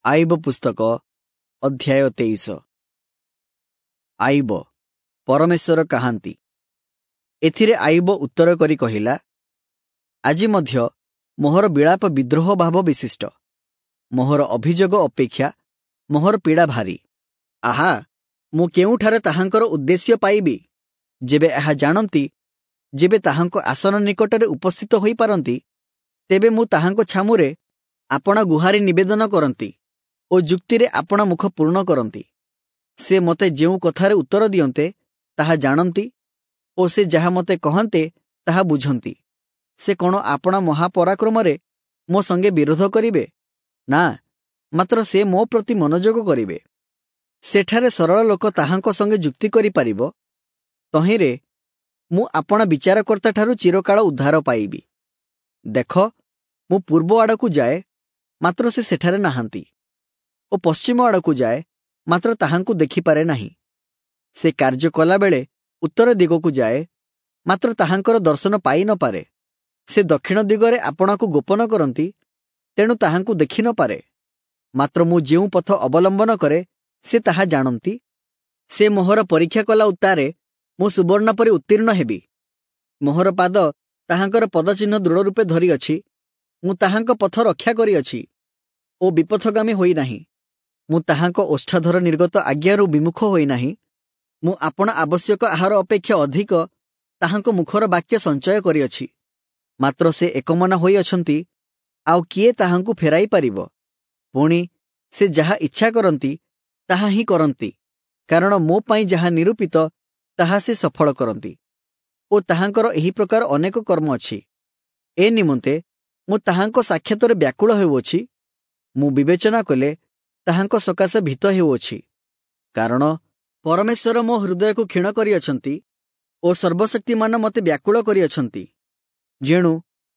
ଆଇବ ପୁସ୍ତକ ଅଧ୍ୟାୟ 23। ଆଇବ ପରମେଶ୍ୱର କାହାନ୍ତି। ଏଥିରେ ଆଇବ ଉତ୍ତର କରି କହିଲା, ଆଜି ମଧ୍ୟ ମୋହର ବିଳାପ ବିଦ୍ରୋହ ଭାବ ବିଶିଷ୍ଟ, ମୋହର ଅଭିଯୋଗ ଅପେକ୍ଷା ମୋହର ପୀଡ଼ା ଭାରୀ। ଆହା, ମୁଁ କେଉଁଠାରେ ତାହାଙ୍କର ଉଦ୍ଦେଶ୍ୟ ପାଇବି? ଯେବେ ଏହା ଜାଣନ୍ତି, ଯେବେ ତାହାଙ୍କ ଆସନ ନିକଟରେ ଉପସ୍ଥିତ ହୋଇପାରନ୍ତି, ତେବେ ମୁଁ ତାହାଙ୍କ ଛାମୁରେ ଆପଣା ଗୁହାରି ନିବେଦନ କରନ୍ତି ଓ ଯୁକ୍ତିରେ ଆପଣା ମୁଖ ପୂର୍ଣ୍ଣ କରନ୍ତି। ସେ ମୋତେ ଯେଉଁ କଥାରେ ଉତ୍ତର ଦିଅନ୍ତେ ତାହା ଜାଣନ୍ତି ଓ ସେ ଯାହା ମୋତେ କହନ୍ତେ ତାହା ବୁଝନ୍ତି। ସେ କ'ଣ ଆପଣା ମହାପରାକ୍ରମରେ ମୋ ସଙ୍ଗେ ବିରୋଧ କରିବେ? ନା, ମାତ୍ର ସେ ମୋ ପ୍ରତି ମନୋଯୋଗ କରିବେ। ସେଠାରେ ସରଳ ଲୋକ ତାହାଙ୍କ ସଙ୍ଗେ ଯୁକ୍ତି କରିପାରିବ, ତହିଁରେ ମୁଁ ଆପଣା ବିଚାରକର୍ତ୍ତାଠାରୁ ଚିରକାଳ ଉଦ୍ଧାର ପାଇବି। ଦେଖ, ମୁଁ ପୂର୍ବ ଆଡ଼କୁ ଯାଏ, ମାତ୍ର ସେ ସେଠାରେ ନାହାନ୍ତି, ଓ ପଶ୍ଚିମ ଆଡ଼କୁ ଯାଏ, ମାତ୍ର ତାହାଙ୍କୁ ଦେଖିପାରେ ନାହିଁ। ସେ କାର୍ଯ୍ୟ କଲାବେଳେ ଉତ୍ତର ଦିଗକୁ ଯାଏ, ମାତ୍ର ତାହାଙ୍କର ଦର୍ଶନ ପାଇ ନପାରେ। ସେ ଦକ୍ଷିଣ ଦିଗରେ ଆପଣାକୁ ଗୋପନ କରନ୍ତି, ତେଣୁ ତାହାଙ୍କୁ ଦେଖି ନପାରେ। ମାତ୍ର ମୁଁ ଯେଉଁ ପଥ ଅବଲମ୍ବନ କରେ, ସେ ତାହା ଜାଣନ୍ତି। ସେ ମୋହର ପରୀକ୍ଷା କଲା ଉତ୍ତାରେ ମୁଁ ସୁବର୍ଣ୍ଣ ପରି ଉତ୍ତୀର୍ଣ୍ଣ ହେବି। ମୋହର ପାଦ ତାହାଙ୍କର ପଦଚିହ୍ନ ଦୃଢ଼ ରୂପେ ଧରିଅଛି। ମୁଁ ତାହାଙ୍କ ପଥ ରକ୍ଷା କରିଅଛି ଓ ବିପଥଗାମୀ ହୋଇନାହିଁ। ମୁଁ ତାହାଙ୍କ ଓଷ୍ଠାଧର ନିର୍ଗତ ଆଜ୍ଞାରୁ ବିମୁଖ ହୋଇନାହିଁ। ମୁଁ ଆପଣା ଆବଶ୍ୟକ ଆହାର ଅପେକ୍ଷା ଅଧିକ ତାହାଙ୍କ ମୁଖର ବାକ୍ୟ ସଞ୍ଚୟ କରିଅଛି। ମାତ୍ର ସେ ଏକମନା ହୋଇଅଛନ୍ତି, ଆଉ କିଏ ତାହାଙ୍କୁ ଫେରାଇ ପାରିବ? ପୁଣି ସେ ଯାହା ଇଚ୍ଛା କରନ୍ତି ତାହା ହିଁ କରନ୍ତି, କାରଣ ମୋ ପାଇଁ ଯାହା ନିରୂପିତ ତାହା ସେ ସଫଳ କରନ୍ତି। ଓ ତାହାଙ୍କର ଏହି ପ୍ରକାର ଅନେକ କର୍ମ ଅଛି। ଏ ନିମନ୍ତେ ମୁଁ ତାହାଙ୍କ ସାକ୍ଷାତରେ ବ୍ୟାକୁଳ ହେଉଅଛି। ମୁଁ ବିବେଚନା କଲେ ତାହାଙ୍କ ସକାଶେ ଭୀତ ହେଉଅଛି। କାରଣ ପରମେଶ୍ୱର ମୋ ହୃଦୟକୁ କ୍ଷୀଣ କରିଅଛନ୍ତି ଓ ସର୍ବଶକ୍ତିମାନ ମୋତେ ବ୍ୟାକୁଳ କରିଅଛନ୍ତି। ଯେଣୁ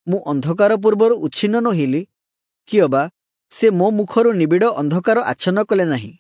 ମୁଁ ଅନ୍ଧକାର ପୂର୍ବରୁ ଉଚ୍ଛିନ୍ନ ନୋହିଲି, କିଅବା ସେ ମୋ ମୁଖରୁ ନିବିଡ଼ ଅନ୍ଧକାର ଆଚ୍ଛନ୍ନ କଲେ ନାହିଁ।